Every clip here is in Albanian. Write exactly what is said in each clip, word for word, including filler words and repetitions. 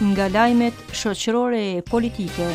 Nga lajmet shoqërore e politike.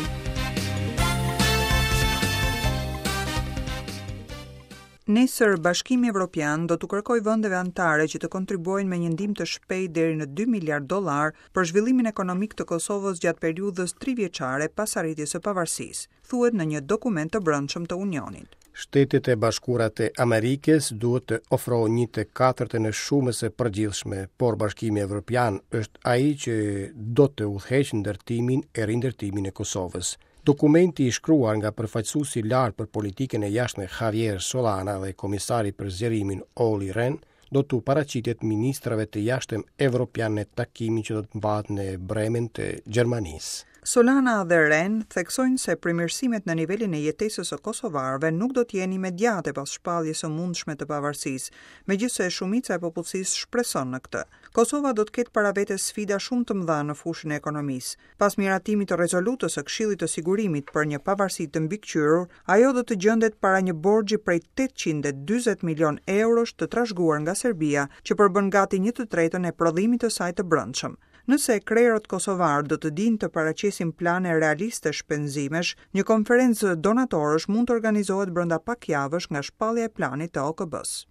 Nesër Bashkimi Evropian do t'u kërkojë vendeve anëtare që të kontribuojnë me një ndihmë të shpejtë deri në dy miliard dollar për zhvillimin ekonomik të Kosovës gjatë periudhës tri vjeçare pas arritjes së pavarësisë, thuhet në një dokument të brendshëm të Unionit. Shtetet e Bashkuara të Amerikës duhet të ofrojnë një të katërtën e shumës së përgjithshme, por Bashkimi Evropian është ai që do të udhëheqë ndërtimin e rindërtimin e Kosovës. Dokumenti i shkruar nga përfaqësuesi i lartë për politikën e jashtme Javier Solana dhe komisari për zgjerimin Olli Rehn do t'u paraqitet ministrave të jashtëm evropian në takimin që do të mbahet në Bremen të Gjermanisë. Solana dhe Rehn theksojnë se përmirësimet në nivelin e jetesës së kosovarëve nuk do të jenë imediate pas shpalljes së mundshme të pavarësisë, megjithëse shumica e popullsisë shpreson në këtë. Kosova do të ketë para vetes sfida shumë të mëdha në fushën e ekonomisë. Pas miratimit të rezolutës së Këshillit të Sigurimit për një pavarësi të mbikëqyrur, ajo do të gjendet para një borxhi prej tetëqind e dyzet milion eurosh të trashëguar nga Serbia, që përbën gati një të tretën e prodhimit të saj të brendshëm. Nëse krerët kosovar do të dinë të paraqesin plane realiste shpenzimesh, një konferencë donatorësh mund të organizohet brenda pak javësh nga shpallja e planit të O K B-s.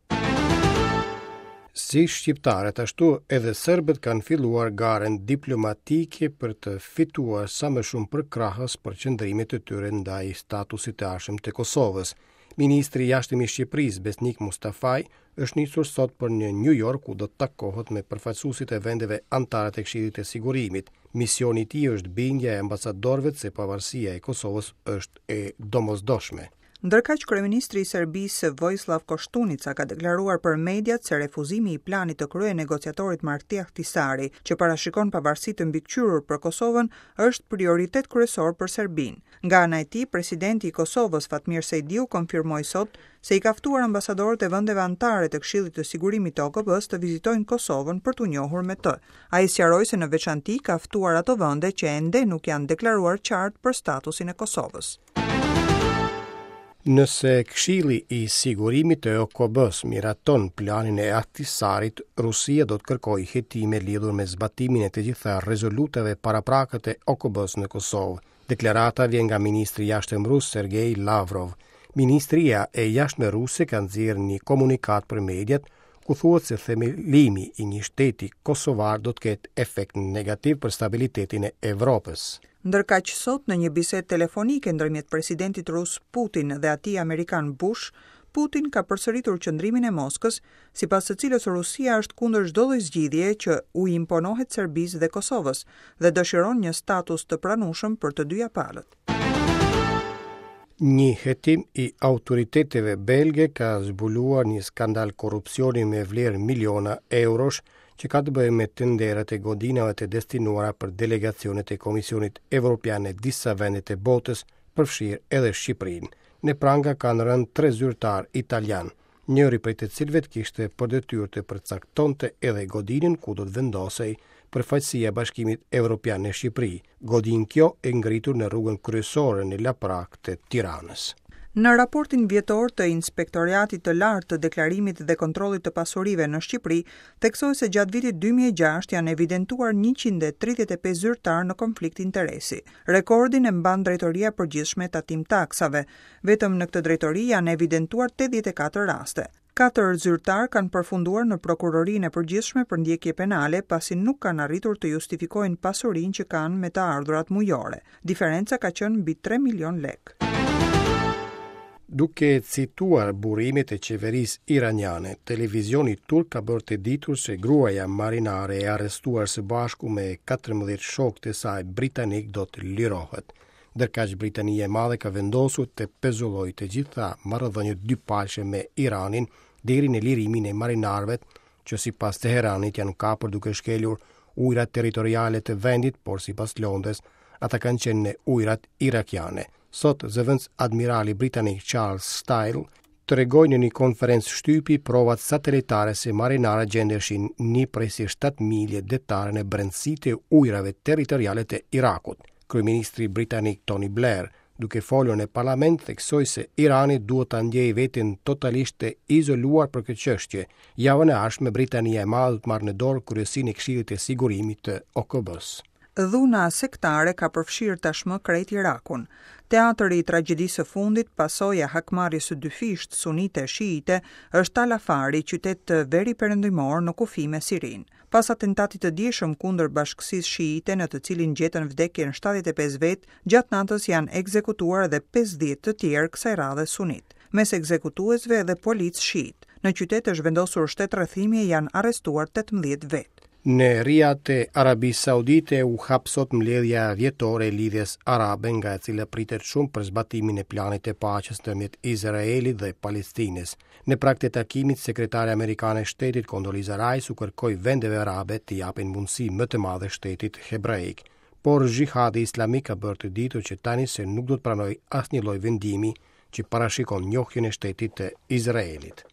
Si shqiptarët ashtu edhe serbët kanë filluar garën diplomatike për të fituar sa më shumë përkrahës për qëndrimet e tyre ndaj statusit të ardhshëm të Kosovës. Ministri i Jashtëm i Shqipërisë, Besnik Mustafaj, është nisur sot për në New York, ku do të takohet me përfaqësuesit e vendeve anëtare të Këshillit të Sigurimit. Misioni i tij është bindja e ambasadorëve se pavarësia e Kosovës është e domosdoshme. Ndërkaq, kryeministri i Serbisë Vojislav Koštunica ka deklaruar për mediat se refuzimi i planit të krye negociatorit Marti Ahtisaari, që parashikon pavarësi të mbikëqyrur për Kosovën, është prioritet kryesor për Serbinë. Nga ana e tij, presidenti i Kosovës Fatmir Sejdiu konfirmoi sot se i ka ftuar ambasadorët e vendeve anëtare të Këshillit të Sigurimit të O K B-s të vizitojnë Kosovën për t'u njohur me të. Ai sqaroi se në veçanti ka ftuar ato vende që ende nuk janë deklaruar qartë për statusin e Kosovës. Nëse Këshilli i Sigurimit të O K B-s miraton planin e Ahtisarit, Rusia do të kërkojë hetime lidhur me zbatimin e të gjitha rezolutave paraprake të O K B-s në Kosovë. Deklarata vjen nga ministri i Jashtëm rus Sergej Lavrov. Ministria e Jashtme ruse ka nxjerrë një komunikat për mediat ku thuhet se themelimi i një shteti kosovar do të ketë efekt negativ për stabilitetin e Evropës. Ndërkaq sot në një bisedë telefonike ndërmjet presidentit rus Putin dhe atij amerikan Bush, Putin ka përsëritur qëndrimin e Moskës, sipas së cilës Rusia është kundër çdo lloj zgjidhjeje që u imponohet Serbisë dhe Kosovës dhe dëshiron një status të pranueshëm për të dyja palët. Një hetim i autoriteteve belge ka zbuluar një skandal korrupsioni me vlerë miliona eurosh që ka të bëjë me tenderat e godinave të destinuara për delegacionet e Komisionit Evropian në disa vende të botës, përfshirë edhe Shqipërinë. Në pranga kanë rënë tre zyrtar italian, njëri prej të cilëve kishte për detyrë të përcaktonte edhe godinën ku do të vendosej përfaqësia e Bashkimit Evropian në Shqipëri, godinë kjo e ngritur në rrugën kryesore në Laprak të Tiranës. Në raportin vjetor të Inspektoriatit të Lartë të Deklarimit dhe Kontrollit të Pasurive në Shqipëri, theksoi se gjatë vitit dy mijë e gjashtë janë evidentuar njëqind e tridhjetë e pesë zyrtar në konflikt interesi. Rekordin e mban Drejtoria e Përgjithshme e Tatim Taksave. Vetëm në këtë drejtori janë evidentuar tetëdhjetë e katër raste. Katër zyrtar kanë përfunduar në Prokurorinë e Përgjithshme për ndjekje penale pasi nuk kanë arritur të justifikojnë pasurinë që kanë me të ardhurat mujore. Diferenca ka qenë mbi tre milion lekë. Duke cituar burimet e qeverisë iraniane, televizioni turk ka bërë të ditur se gruaja marinare e arrestuar së bashku me katërmbëdhjetë shokët e saj britanik do të lirohet. Ndërkaq Britania e Madhe ka vendosur të pezullojë të gjitha marrëdhëniet dypalëshe me Iranin deri në lirimin e marinarëve që sipas Teheranit janë kapur duke shkelur ujërat territoriale të vendit, por sipas Londrës ata kanë qenë në ujërat irakiane. Sot zëvendës admirali britanik Charles Style tregoi në një konferencë shtypi provat satelitare se marinarët gjendeshin një prej se shtatë milje detare në brendësi të ujërave territoriale të Irakut. Kryeministri britanik Tony Blair, duke folur në parlament, theksoi se Irani duhet ta ndjejë veten totalisht të izoluar për këtë çështje. Javën e ardhshme Britania e Madhe do të marrë në dorë kryesinë e Këshillit të Sigurimit të O K B-s. Dhuna sektare ka përfshirë tashmë krejt Irakun. Teatri i tragjedisë së fundit, pasojë e hakmarrjes së dyfishtë sunite shiite, është Tal Afari, qytet veri-perëndimor në kufi me Sirinë. Pas atentatit të djeshëm kundër bashkësisë shiite, në të cilin gjetën vdekjen shtatëdhjetë e pesë vetë, gjatë natës janë ekzekutuar edhe pesëdhjetë të tjerë, kësaj radhe sunit. Mes ekzekutuesve edhe policë shiit. Në qytet është vendosur shtetrrethimi e janë arrestuar tetëmbëdhjetë vetë. Në Riyadh të Arabisë Saudite u hap sot mbledhja vjetore e Lidhjes Arabe, nga e cila pritet shumë për zbatimin e planit të paqes ndërmjet Izraelit dhe Palestinës. Në prag të takimit, sekretarja amerikane e shtetit Condoleezza Rice u kërkoi vendeve arabe të japin mundësi më të madhe shtetit hebraik. Por xhihadi islamik ka bërë të ditur që tani se nuk do të pranojë asnjë lloj vendimi që parashikon njohjen e shtetit të Izraelit.